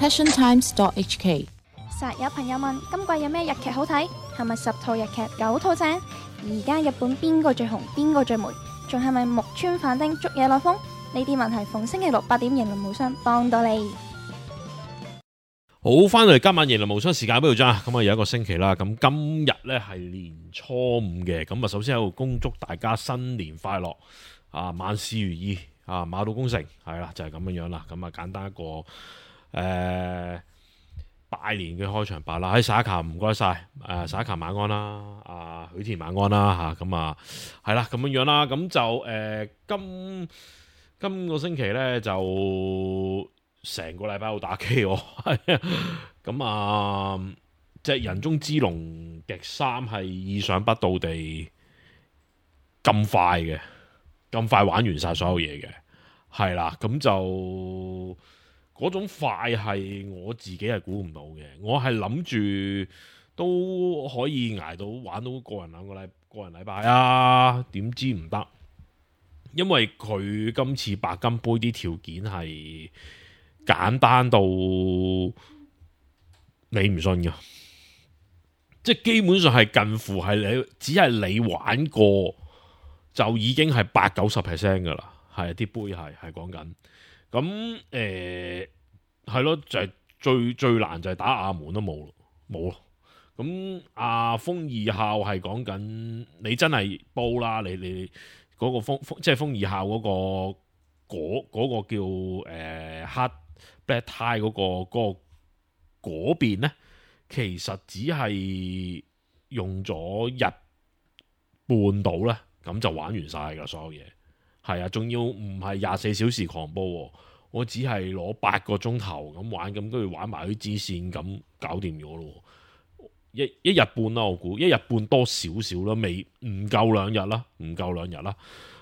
passiontimes.hk。實有朋友問今季有咩日劇好睇？係咪10套日劇9套正？而家日本邊個最紅？邊個最霉？仲係咪木村反町捉野內風？呢啲問題逢星期六8點，型輪無雙幫到你。好，翻嚟今晚型輪無雙時間喺度咋？咁啊有一個星期啦，咁今日呢係年初5嘅，咁啊首先喺度恭祝大家新年快樂啊，萬事如意啊，馬到功成，係啦，就係咁樣樣啦。咁啊簡單一個拜年嘅開場白啦。喺撒卡唔該晒，撒卡晚安啦，許田晚安啦吓，咁啊係啦咁樣樣啦。咁就今個星期呢，就成個禮拜好打機喎，係咁啊，即係人中之龍極3係意想不到地咁快玩完晒所有嘢嘅，係啦，咁就嗰種快係我自己係估唔到嘅，我係諗住都可以捱到玩到個人禮拜啊，點知唔得，因為佢今次白金杯啲條件係簡單到你唔信噶，即係基本上係近乎係你只係你玩過就已經係80-90% 噶啦，係啲杯係講緊，咁係咯，就係最難就係打亞門都冇咯，咁阿風二校係講緊你真係煲啦，你嗰個即係風二校嗰個叫黑 Black Tie 嗰邊呢，其實只係用咗日半到呢，咁就玩完晒噶所有嘢，係啊，仲要唔係24小時狂煲，我只係攞8個鐘頭咁玩，咁跟住玩埋啲支線，咁搞掂咗咯。一日半啦，我估一日半多少少啦，唔夠2日啦，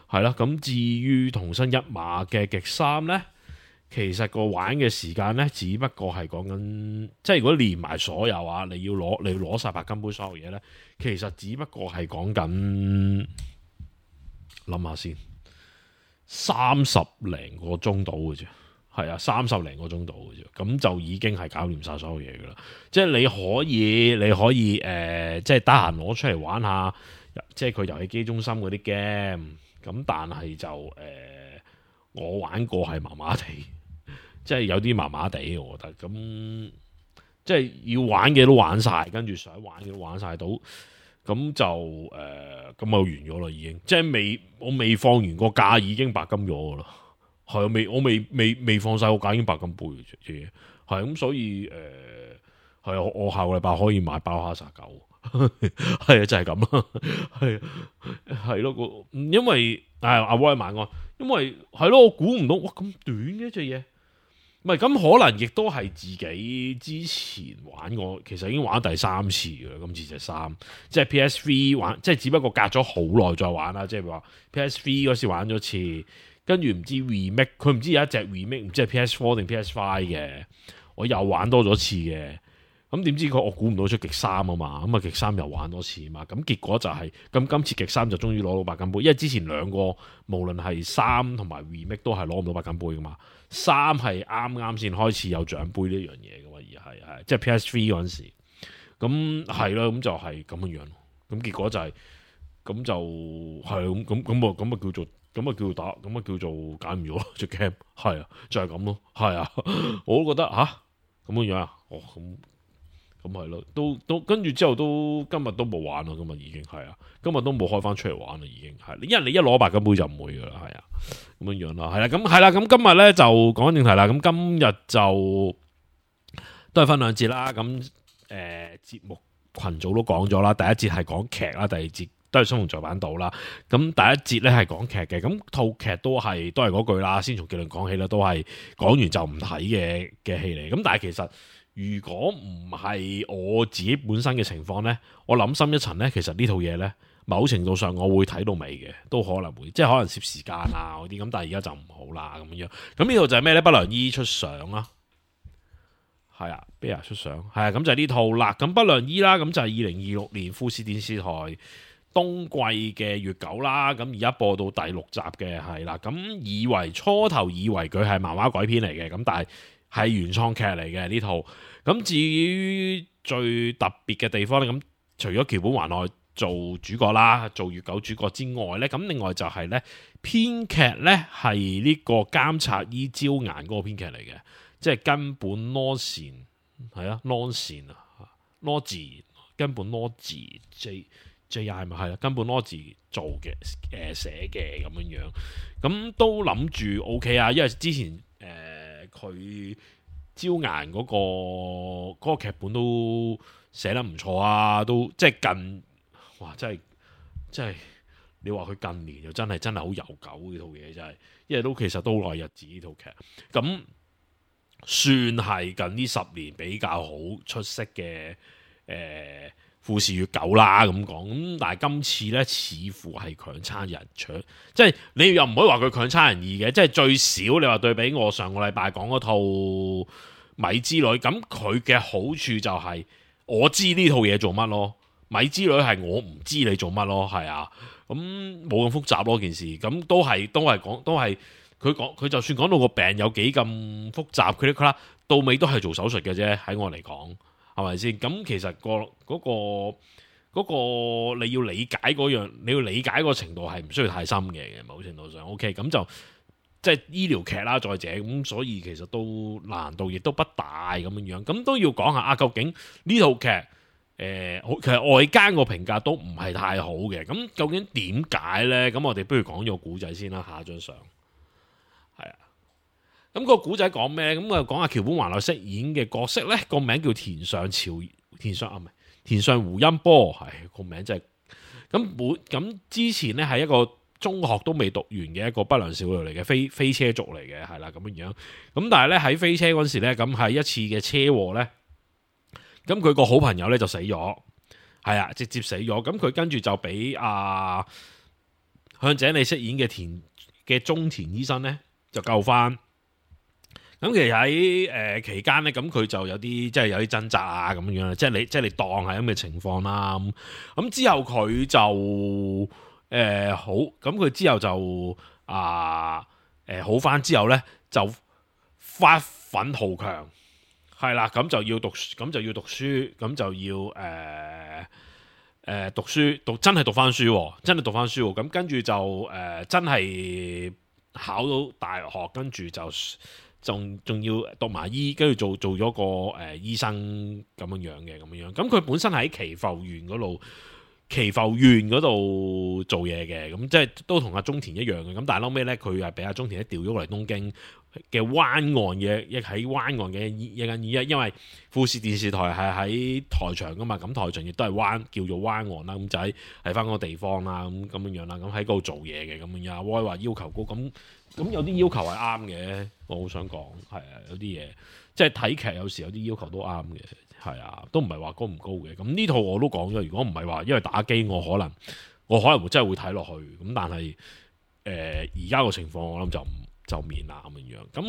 係啦。咁至於同生一馬嘅極3呢，其實個玩嘅時間呢，只不過係講緊，即係如果連埋所有啊，你要攞晒白金杯所有嘢呢，其實只不過係講緊，諗下先，30零個鐘到嘅啫，係啊，30零個鐘到嘅啫，咁就已經係搞掂晒所有嘢噶啦。即係你可以即係得閒攞出嚟玩下，即係佢遊戲機中心嗰啲 game。咁但係就我玩過係麻麻地，即係有啲麻麻地，我覺得咁即係要玩嘅都玩晒，跟住想玩嘅都玩晒到，咁就咁就完咗啦，已經即係我未放完個假已經白金咗噶啦，係我未放晒個假已經白金杯嘅啫，係咁所以係我下個禮拜可以買包哈薩狗。係啊，就係咁啦，係咯，因為阿威晚安，因為係咯，我估唔到哇咁短嘅隻嘢，唔係咁可能亦都係自己之前玩過，其實已經玩第3次嘅，今次隻3，即係 PS3 玩，即係只不過隔咗好耐再玩啦，即係話 PS3 嗰時玩咗次，跟住唔知 remake， 佢唔知有一隻 remake， 唔知係 PS4 定 PS5 嘅，我又玩多咗次嘅。咁點知我估唔到出極3啊嘛，咁啊極3又玩多次啊嘛，咁結果就係咁今次極3就終於攞到白金杯，因為之前2個無論係3同埋 remake 都係攞唔到白金杯噶嘛，3係啱先開始有獎杯呢樣嘢噶嘛，而係即係 PS3 嗰陣時，咁係咯，咁就係咁樣樣，咁結果就係咁就係咁叫做打，咁啊叫做揀唔咗隻 game， 係啊，就係咁咯，係啊，我都覺得咁樣樣啊，咁係咯，都跟住之後今日都冇玩咯，今日已經係啊，今日都冇開翻出嚟玩啦，已經係，因為你一攞白金杯就唔會噶啦，係啊，咁樣樣啦，係啦，咁今日咧就講正題啦，咁今日就都係分2節啦，咁節目群組都講咗啦，第一節係講劇啦，第二節都係新聞在版島啦，咁第一節咧係講劇嘅，咁套劇都係嗰句啦，先從結論講起啦，都係講完就唔睇嘅戲嚟，咁但係其實如果唔係我自己本身嘅情況呢，我諗深一層呢，其實呢套嘢呢，某程度上我會睇到尾嘅，都可能會，即係可能攝時間啊嗰啲咁，但係而家就唔好啦咁樣。咁呢套就係咩呢？不良醫出相啦，係啊，Bear 出相，係啊，咁就係呢套啦。咁不良醫啦，咁就係2026年富士電視台冬季嘅月9啦。咁而家播到第6集嘅係啦。咁初頭以為佢係漫畫改編嚟嘅，咁但係係原創劇嚟嘅呢套。咁至於最特別嘅地方咧，咁除咗橋本環奈做主角啦，做月九主角之外咧，咁另外就係咧編劇咧係呢個監察醫朝顏嗰個編劇嚟嘅，即係根本羅善係啊，羅善啊，羅字根本羅字 J.I. 咪係啦，根本羅字做嘅寫嘅咁樣樣，咁都諗住 O.K. 啊，因為之前佢朝顏嗰個劇本都寫得唔錯啊，都即係近。哇！真係，你話佢近年又真係好悠久呢套嘢，真係，因為其實都好耐日子呢套劇，咁算係近呢10年比較好出色嘅富士月九啦咁講。咁但係今次呢，似乎係強差人搶，即係你又唔可以話佢強差人意嘅，即係最少你話對比我上個禮拜講嗰套米之旅，咁佢嘅好處就係我知呢套嘢做乜咯。米之旅係我唔知你做乜咯，係啊，咁冇咁複雜咯件事，咁都係佢就算講到個病有幾咁複雜，佢到尾都係做手術嘅啫，喺我嚟講係咪先？咁其實嗰個你要理解嗰樣，你要理解個程度係唔需要太深嘅，某程度上 OK， 咁就即係醫療劇啦，再者咁，所以其實都難度亦都不大咁樣，咁都要講下啊，究竟呢套劇？其實外間個評價都唔係太好嘅，咁究竟點解呢？咁我哋不如講咗個古仔先啦，下一張相係啊。咁個古仔講咩？咁啊講下橋本環奈飾演嘅角色呢，個名叫田上胡音波，係個名真係咁之前呢，係一個中學都未讀完嘅一個不良少女嚟嘅，飛車族嚟嘅，係啦咁樣。咁但係呢，喺飛車嗰時呢，咁係一次嘅車禍呢。咁佢個好朋友咧就死咗，係啊，直接死咗。咁佢跟住就俾向井理飾演嘅中田醫生咧就救翻。咁其實喺期間咧，咁佢就有啲即係有啲掙扎啊咁樣，即係你當係咁嘅情況啦。咁之後佢就好，咁佢之後就好翻之後咧就發奮圖強。係啦，咁就要讀書，咁就要讀書，真係讀翻書，真係讀翻書。咁跟住就真係考到大學，跟住就仲要讀埋醫，跟住做咗個醫生咁樣。咁佢本身喺祈阜縣嗰度做嘢嘅，咁即係都同阿中田一樣嘅。咁但係後尾咧，佢係俾阿中田調咗過嚟東京嘅灣岸嘅，亦喺灣岸嘅一間醫院，因為富士電視台係喺台場噶嘛，咁台場亦都係叫做灣岸啦，咁就喺翻嗰個地方啦，咁樣啦，咁喺嗰度做嘢嘅咁樣。阿威話要求高，咁有啲要求係啱嘅，我好想講係啊，有啲嘢即係睇劇有時有啲要求都啱嘅，係啊，都唔係話高唔高嘅。咁呢套我都講咗，如果唔係話因為打機，我可能會真係會睇落去，咁但係而家個情況我諗就免啦咁樣，咁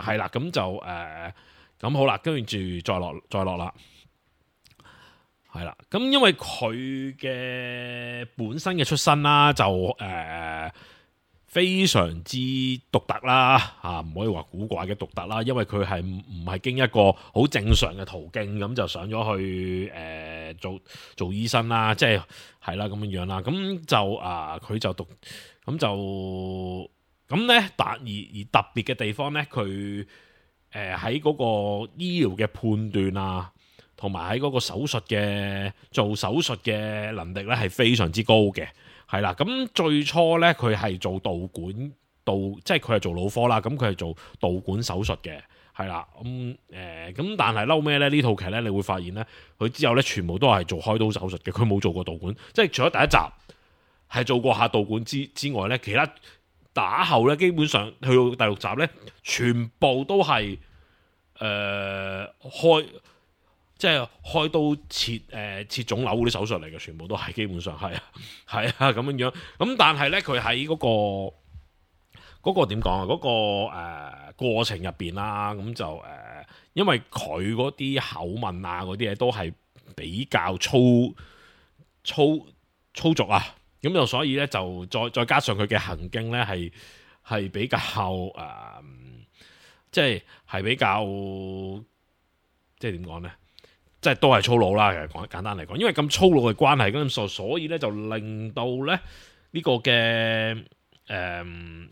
係啦，咁就咁好啦，跟住再落啦，係啦，咁因為佢嘅本身嘅出身啦，就非常之獨特啦，唔可以話古怪嘅獨特啦，因為佢係唔係經一個好正常嘅途徑咁就上咗去做醫生啦，即係啦咁樣啦，咁就佢就讀咁就。咁咧，而特別嘅地方咧，佢喺嗰個醫療嘅判斷啊，同埋喺嗰個做手術嘅能力咧，係非常之高嘅，係啦。咁最初咧，佢係做導管，即係佢係做腦科啦，咁佢係做導管手術嘅，係啦。咁但係嬲咩咧？呢套劇咧，你會發現咧，佢之後咧全部都係做開刀手術嘅，佢冇做過導管，即係除咗第一集係做過下導管之外咧，其他。打後咧，基本上去到第6集咧，全部都係開刀切腫瘤嗰啲手術嚟嘅，全部都係基本上係啊咁樣。咁但係咧，佢喺嗰個點講啊？嗰個過程入邊啦，咁就因為佢嗰啲口吻啊，嗰啲嘢都係比較粗俗啊。咁就所以咧，就再加上佢嘅行徑咧，係比較即係比較即係點講呢？即係都係粗魯啦，其實講簡單嚟講，因為咁粗魯嘅關係，咁所以咧就令到咧呢個嘅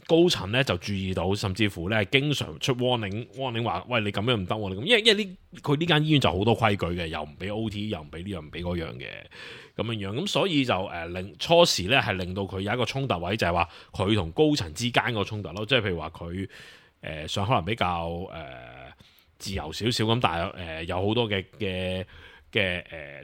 高層咧就注意到，甚至乎咧經常出 warning 話，喂，你咁樣唔得喎，你咁，因為佢呢間醫院就好多規矩嘅，又唔俾 OT，又唔俾呢樣唔俾嗰樣嘅咁樣，咁所以就令初時咧係令到佢有一個衝突位，就係話佢同高層之間個衝突咯，即係譬如話佢想可能比較自由少少咁，但係有好多嘅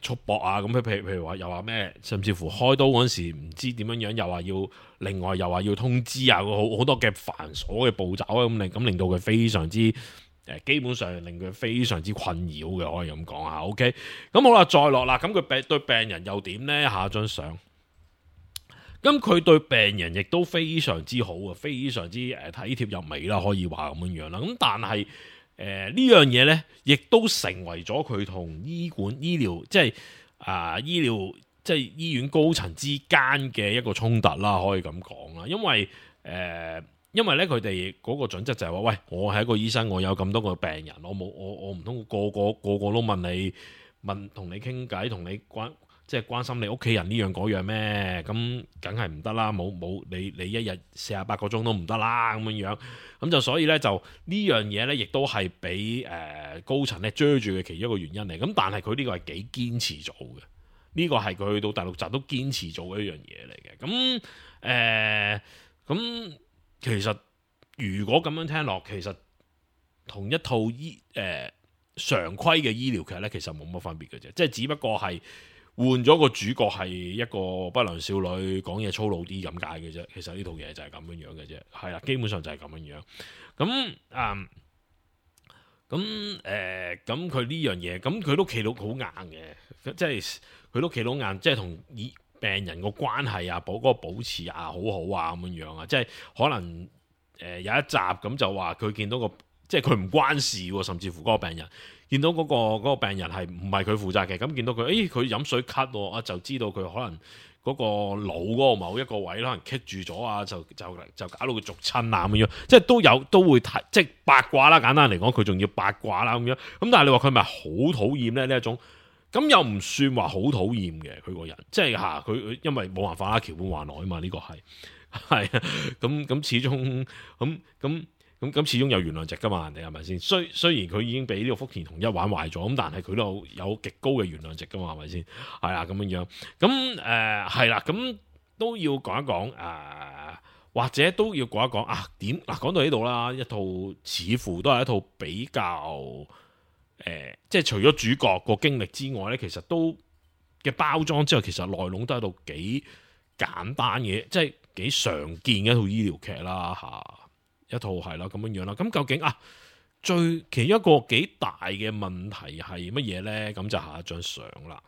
束縛啊，咁譬如話又話咩，甚至乎開刀嗰陣時唔知點樣，又話要另外又話要通知啊，好多嘅繁瑣嘅步驟啊，咁令到佢非常之基本上令佢非常之困擾嘅，可以咁講下。OK， 咁好啦，再落啦，咁佢對病人又點呢？下一張相，咁佢對病人亦都非常之好啊，非常之體貼入微啦，可以話咁樣啦。咁但係呢樣嘢呢，亦都成為咗佢同醫療即係醫療即係醫院高層之間嘅一個衝突啦，可以咁講啦。因為咧佢哋嗰個準則就係話，喂，我係一個醫生，我有咁多個病人，我唔通個個都問同你傾偈，同你關心你屋企人呢樣嗰樣咩？咁梗係唔得啦，冇你一日48個鐘都唔得啦，咁樣，咁就所以咧就呢樣嘢咧，亦都係俾高層咧追住嘅其中一個原因嚟。咁但係佢呢個係幾堅持做嘅，呢個係佢去到第6集都堅持做嘅一樣嘢嚟嘅。咁其實如果咁樣聽落，其實同一套常規嘅醫療劇咧，其實冇乜分別嘅啫，即係只不過係換咗個主角係一個不良少女，講嘢粗魯啲咁解嘅啫。其實呢套嘢就係咁樣嘅啫，係啦，基本上就係咁樣。咁佢呢樣嘢，咁佢都企到好硬嘅，即係佢都企到硬，即係同病人個關係啊，嗰個保持啊，好好啊咁樣啊，即係可能有一集咁就話佢見到即係佢唔關事喎，甚至乎嗰個病人見到嗰個病人係唔係佢負責嘅，咁見到佢，佢飲水咳喎，就知道佢可能嗰個腦嗰個某一個位可能棘住咗啊，就搞到佢逐親啊咁樣，即係都會睇，即係八卦啦。簡單嚟講，佢仲要八卦啦咁樣。咁但係你話佢係咪好討厭咧呢一種？咁又唔算話好討厭嘅，佢個人，即係佢因為冇辦法啦，橋本環奈啊嘛，呢個係啊，咁始終咁始終有原諒值噶嘛，人哋係咪先？雖然佢已經俾呢個福田同一玩壞咗，咁但係佢都有極高嘅原諒值噶嘛，係咪先？係啦，咁樣，咁係啦，咁都要講一講或者都要講一講點講到呢度啦，一套似乎都係一套比較即係除咗主角個經歷之外咧，其實都嘅包裝之外，其實內容都係一套幾簡單嘅，即係幾常見嘅一套醫療劇啦一套係啦咁樣啦。咁究竟其中一個幾大嘅問題係乜嘢呢？咁就下一張相啦。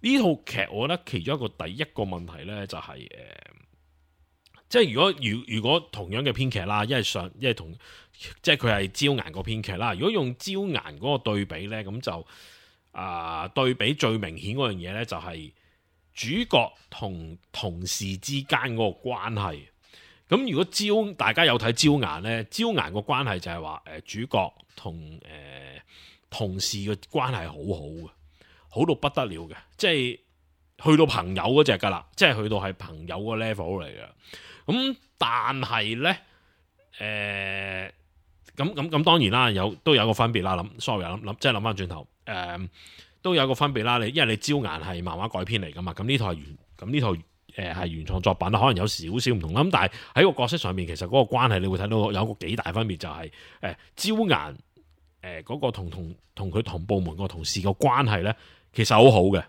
呢套劇我覺得其中一個第一個問題呢，就係即係如果同樣嘅編劇啦，即係佢係朝顏個編劇啦。如果用朝顏嗰個對比呢，咁就對比最明顯嗰樣嘢呢，就係主角同同事之間嗰個關係。咁如果大家有睇朝顏呢，朝顏個關係就係話主角同同事嘅關係好好嘅，好到不得了嘅，即係去到朋友嗰隻噶啦，即係去到係朋友個 level 嚟嘅。咁但係呢，咁當然啦，都有個分別啦。諗即係諗翻轉頭，都有個分別啦。因為你朝顏係漫畫改編嚟噶嘛，咁呢套係原創作品，可能有少少唔同啦。咁但係喺個角色上面，其實嗰個關係你會睇到有個幾大分別，就係朝顏嗰個同佢同部門個同事個關係呢，其實好好嘅，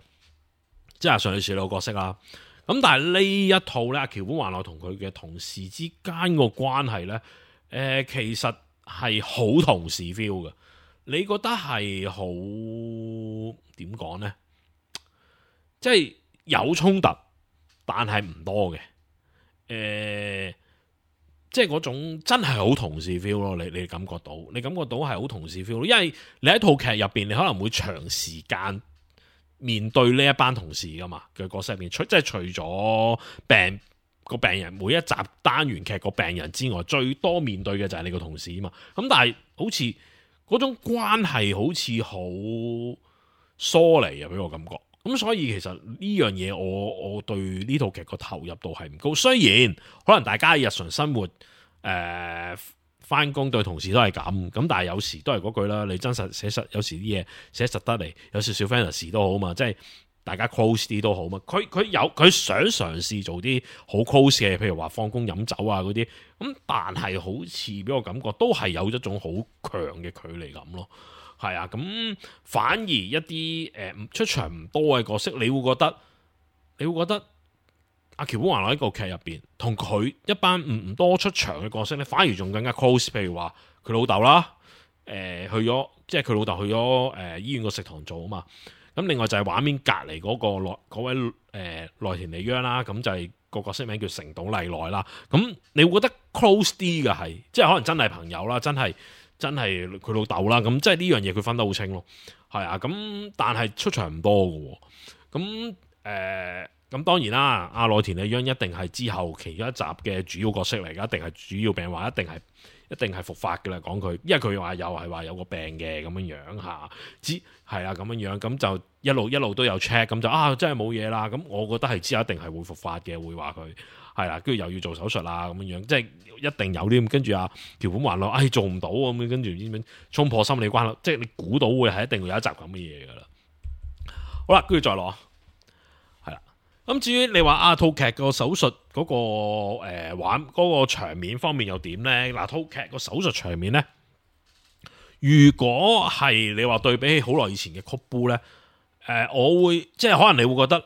即係上女士個角色啦。咁但係呢一套呢，橋本環奈同佢嘅同事之間個關係呢，其實係好同事 feel 嘅。你覺得係好點講呢？即係有衝突，但係唔多嘅。即係嗰種真係好同事 feel 咯。你感覺到係好同事 feel 咯。因為你喺套劇入邊，你可能會長時間面對呢一班同事噶嘛嘅角色入邊，即係除咗個病人每一集單元劇個病人之外，最多面對嘅就係你個同事啊嘛。咁但係好似嗰種關係好似好疏離啊，俾我感覺。咁所以其實呢樣嘢我對呢套劇個投入度係唔高。雖然可能大家日常生活翻工對同事都係咁，但係有時都係嗰句啦，你真實寫實，有時啲嘢寫實得嚟，有少少 fantasy 都好嘛，即係大家 close 啲都好嘛。佢想嘗試做啲好 close 嘅，譬如話放工飲酒啊嗰啲，咁但係好似俾我感覺都係有一種好強嘅距離感咯。係啊，咁反而一啲出場唔多嘅角色，你會覺得阿橋本環奈喺個劇入邊，同佢一班唔多出場嘅角色咧，反而仲更加 close。譬如話佢老豆啦，去咗，即係佢老豆去咗醫院個食堂做啊嘛。咁另外就係畫面隔離嗰位內田理央啦，咁就係個角色名叫成島麗奈啦。咁你會覺得 close 啲嘅係，即係可能真係朋友啦，真係佢老豆啦。咁即係呢樣嘢佢分得好清咯。係啊，咁但係出場唔多嘅喎。咁當然啦，阿內田理央一定係之後其中一集嘅主要角色嚟㗎，一定係主要病患，一定係復發嘅啦。講佢，因為佢話又係話有個病嘅咁樣樣嚇，係啊咁樣樣，咁就一路都有 check，咁就真係冇嘢啦。咁我覺得係之後一定係會復發嘅，會話佢係啦，跟住又要做手術啦咁樣樣，即係一定有啲咁。跟住阿橋本環奈做唔到咁樣，跟住點樣衝破心理關口，即係你估到會係一定會有一集咁嘅嘢㗎啦。好啦，跟住再攞。咁至於你話套劇個手術嗰個玩嗰個場面方面又點呢？嗱，套劇個手術場面呢，如果係你話對比起好耐以前嘅曲煲呢，我會即係可能你會覺得，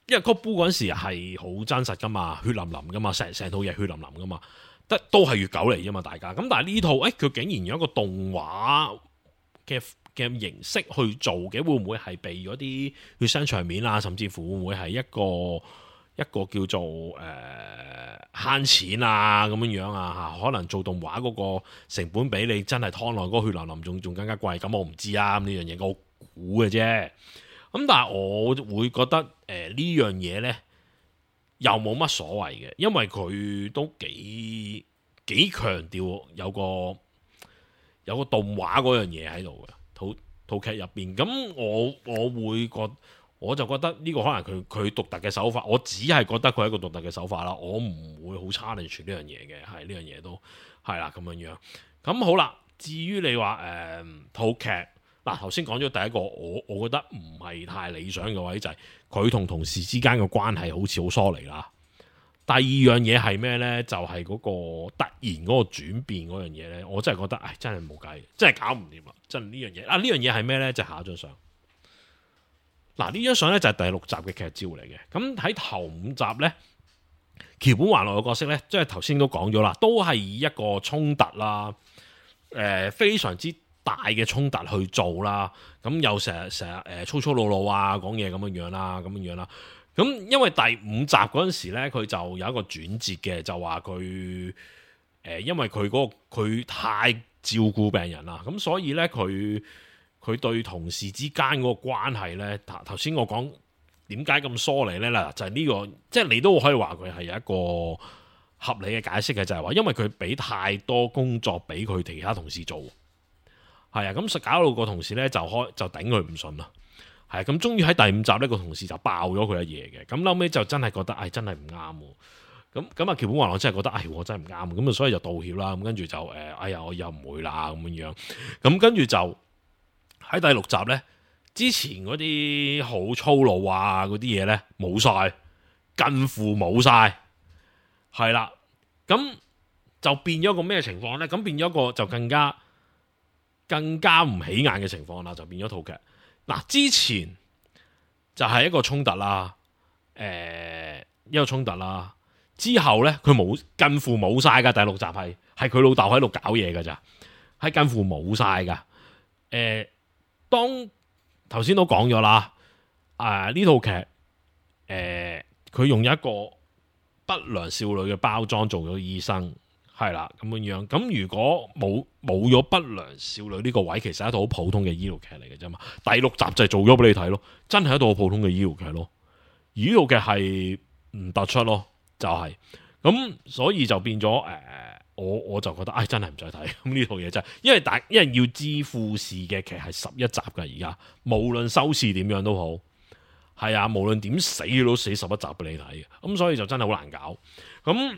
因為曲煲嗰陣時係好真實噶嘛，血淋淋噶嘛，成套嘢血淋淋噶嘛，都係月9嚟啫嘛，大家。咁但係呢套佢竟然有一個動畫嘅形式去做嘅，會唔會係避咗啲血腥場面啊？甚至乎會唔會係一個叫做慳錢啊咁樣啊嚇？可能做動畫嗰個成本比你真係湯內嗰個血淋淋仲更加貴，咁我唔知啊。呢樣嘢我估嘅啫。咁但係我會覺得呢樣嘢呢又冇乜所謂嘅，因為佢都幾強調有個動畫嗰樣嘢喺度嘅。套劇入邊，咁我就覺得呢個可能佢獨特嘅手法，我只係覺得佢係一個獨特嘅手法啦，我唔會好 challenge 呢樣嘢嘅，係呢樣嘢都係啦咁樣樣。咁好啦，至於你話套劇嗱，頭先講咗第一個，我覺得唔係太理想嘅位就係佢同同事之間嘅關係好似好疏離啦。第二樣嘢係咩呢？就係嗰個突然嗰個轉變嗰樣嘢呢，我真係覺得，真係冇計，真係搞唔掂啦！真係呢樣嘢呢樣嘢係咩呢？就係下一張相。嗱，呢張相呢就係第6集嘅劇照嚟嘅。咁喺頭5集呢，橋本環奈嘅角色呢，即係頭先都講咗啦，都係以一個衝突啦，非常之大嘅衝突去做啦。咁又成日粗粗魯魯啊，講嘢咁樣啦，咁因為第5集嗰陣時咧，佢就有一個轉折嘅，就話佢因為佢太照顧病人啦，咁所以咧佢對同事之間嗰個關係咧，頭先我講點解咁疏離咧嗱，就係呢個，即係你都可以話佢係有一個合理嘅解釋嘅，就係話因為佢俾太多工作俾佢其他同事做，係啊，咁實搞到個同事咧就頂佢唔順啦。係咁，終於喺第5集呢個同事就爆咗佢一嘢嘅，咁後尾就真係覺得，真係唔啱喎。咁啊，橋本環奈真係覺得，我真係唔啱，咁啊，所以就道歉啦。咁跟住就我又唔會啦咁樣。咁跟住就喺第6集呢，之前嗰啲好粗魯啊嗰啲嘢呢，冇晒，近乎冇晒，係啦。咁就變咗個咩情況呢？咁變咗個就更加唔起眼嘅情況啦，就變咗套劇。嗱，之前就係一個衝突啦，一個衝突啦。之後咧，佢近乎冇晒噶。第6集係佢老豆喺度搞嘢噶咋，係近乎冇晒噶。當頭先都講咗啦，呢套劇佢用一個不良少女嘅包裝做咗醫生。係啦，咁樣。咁如果冇咗不良少女呢個位，其實係一套好普通嘅醫療劇嚟嘅啫嘛。第6集就係做咗俾你睇咯，真係一套好普通嘅醫療劇咯。而呢套劇係唔突出咯，就係咁所以就變咗我就覺得真係唔使睇咁呢套嘢真係，因為要知富士嘅劇係11集㗎，而家無論收視點樣都好，係啊，無論點死都死11集俾你睇嘅，咁所以就真係好難搞。咁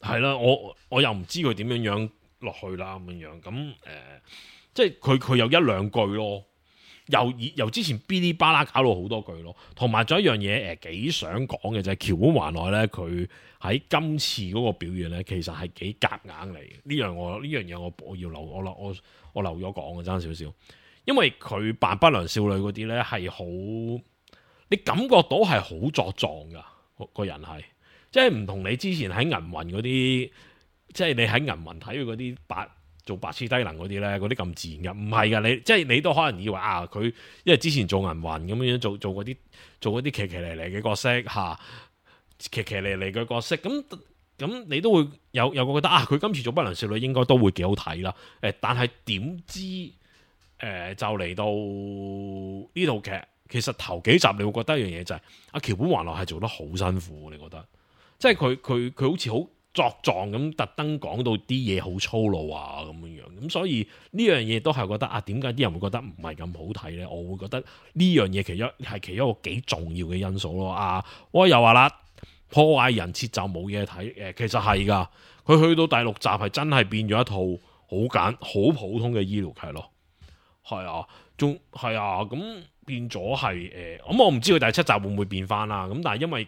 係啦，我又唔知佢點樣落去啦咁樣，咁即係佢有一兩句咯。由之前嗶哩吧啦搞到好多句咯，同埋仲有一樣嘢幾想講嘅就係橋本環奈咧，佢喺今次嗰個表現咧，其實係幾夾硬嚟嘅。呢樣嘢我要我留咗講嘅爭少少，因為佢扮不良少女嗰啲咧係好，你感覺到係好作狀噶個人係，即係唔同你之前喺銀魂嗰啲，即係你喺銀魂睇佢嗰啲做白痴低能嗰啲咧，嗰啲咁自然嘅，唔係噶，即係你都可能以為佢因為之前做銀魂咁樣做嗰啲騎騎嚟嚟嘅角色嚇，騎騎嚟嚟嘅角色，咁你都會有個覺得佢今次做不良少女應該都會幾好睇啦。但係點知就嚟到呢套劇，其實頭幾集你會覺得一樣嘢就係橋本環奈係做得好辛苦，你覺得即係佢好似好作狀咁，特登講到啲嘢好粗魯啊咁樣，咁所以呢樣嘢都係覺得點解啲人會覺得唔係咁好睇呢？我會覺得呢樣嘢其中一個幾重要嘅因素咯。我又話啦，破壞人設就冇嘢睇，其實係噶，佢去到第6集係真係變咗一套好普通嘅醫療劇咯。係啊，仲係啊，咁變咗係咁我唔知佢第7集會唔會變翻啦。咁但係因為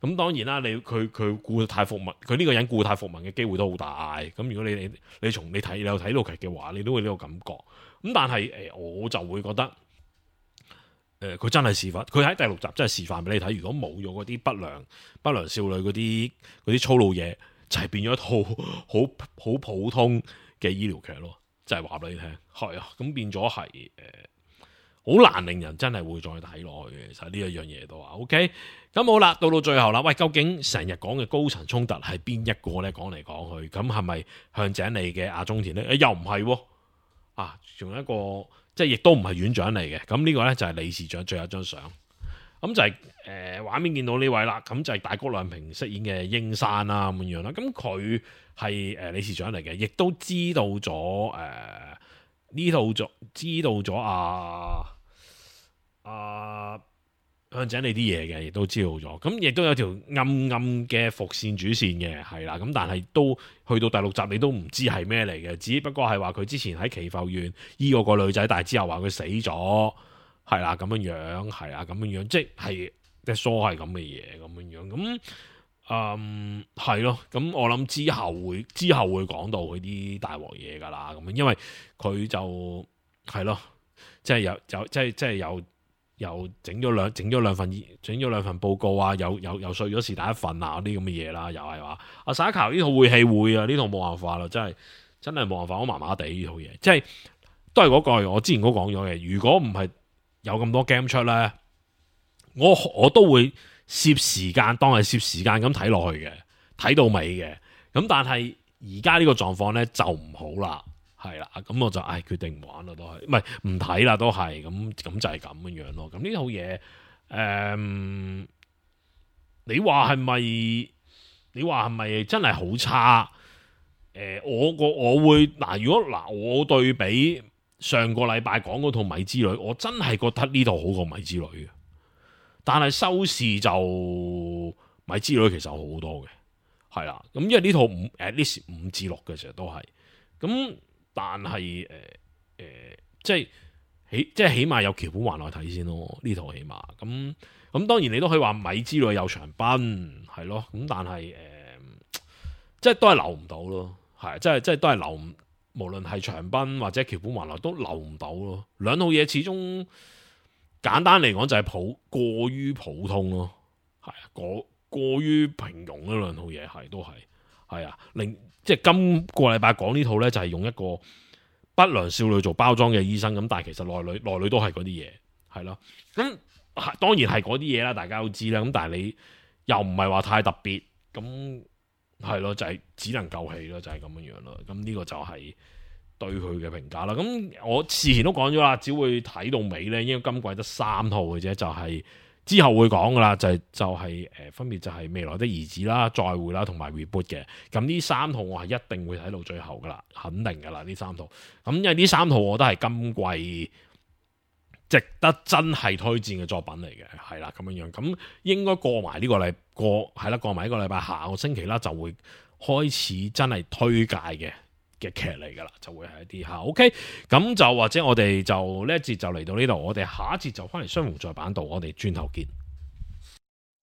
咁當然啦，佢故態復萌，佢呢個人故態復萌嘅機會都好大。咁如果你有睇到劇嘅話，你都會呢個感覺。咁但係我就會覺得佢真係示範，佢喺第6集真係示範俾你睇。如果冇咗嗰啲不良少女嗰啲粗魯嘢，就係變咗一套好普通嘅醫療劇咯。就係話俾你聽，係啊，咁變咗係好難令人真係會再睇落去嘅。其實呢一樣嘢都話 OK。咁好啦，到最後啦，喂，究竟成日講嘅高層衝突係邊一個呢？講嚟講去，咁係咪向井理嘅阿中田呢？又唔係喎，仲有一個即係亦都唔係院長嚟嘅。咁呢個呢，就係理事長最後一張相。咁就係畫面見到呢位啦，咁就係大谷亮平飾演嘅櫻山啦咁樣啦。咁佢係理事長嚟嘅，亦都知道咗呢度知道咗向井理啲嘢嘅，亦都知道咗。咁亦都有條暗暗嘅伏線主線嘅，係啦。咁但係都去到第6集，你都唔知係咩嚟嘅，只不過係話佢之前喺祈阜縣醫過個女仔，但係之後話佢死咗，係啦咁樣，係啦咁樣，即係疏係咁嘅嘢咁樣。咁係咯。咁我諗之後會講到佢啲大鑊嘢噶啦。咁樣因為佢就係咯，即係又整咗兩份報告啊，又碎咗是第一份啊，嗰啲咁嘅嘢啦，又係話阿沙卡呢套會戲會啊，呢套冇辦法啦，真係冇辦法，我麻麻地呢套嘢，即係都係嗰句我之前都講咗嘅，如果唔係有咁多 game 出咧，我都會攝時間當係攝時間咁睇落去嘅，睇到尾嘅。咁但係而家呢個狀況咧就唔好啦。係啦，咁我就決定唔玩啦，都係唔睇啦，都係咁就係咁樣咯。咁呢套嘢，你話係咪真係好差？我會如果我對比上個禮拜講嗰套《米之旅》，我真係覺得呢套好過《米之旅》嘅。但係收視就《米之旅》其實好多嘅，係啦。咁因為呢套at least 5至6嘅，其實都係咁。但係即係起碼有橋本環奈睇先咯，呢套起碼咁當然你都可以話米之旅有長濱係咯，咁但係即係都係留唔到咯，係即係都係留唔，無論係長濱或者橋本環奈都留唔到咯。兩套嘢始終簡單嚟講就係過於普通咯，係過於平庸呢兩套嘢係啊，即係今個禮拜講呢套呢，就係用一個不良少女做包裝嘅醫生咁，但係其實內裏都係嗰啲嘢，係咯。咁當然係嗰啲嘢啦，大家都知啦。咁但係你又唔係話太特別，咁係咯，就係只能夠氣咯，就係咁樣樣咯。咁呢個就係對佢嘅評價啦。咁我事前都講咗啦，只會睇到尾呢，應該今季得3套嘅啫，就係之後會講噶啦，分別就係未來的兒子啦、再會啦同埋 reboot 嘅。咁呢3套我係一定會睇到最後噶啦，肯定噶啦呢3套。咁因為呢3套我都係今季值得真係推薦嘅作品嚟嘅，係啦咁樣樣。咁應該過埋呢個禮拜，下個星期啦就會開始真係推介嘅劇嚟噶啦，就會係一啲吓 OK。咁就或者我哋就呢一節就嚟到呢度，我哋下一節就翻嚟雙雄在版度，我哋轉頭見。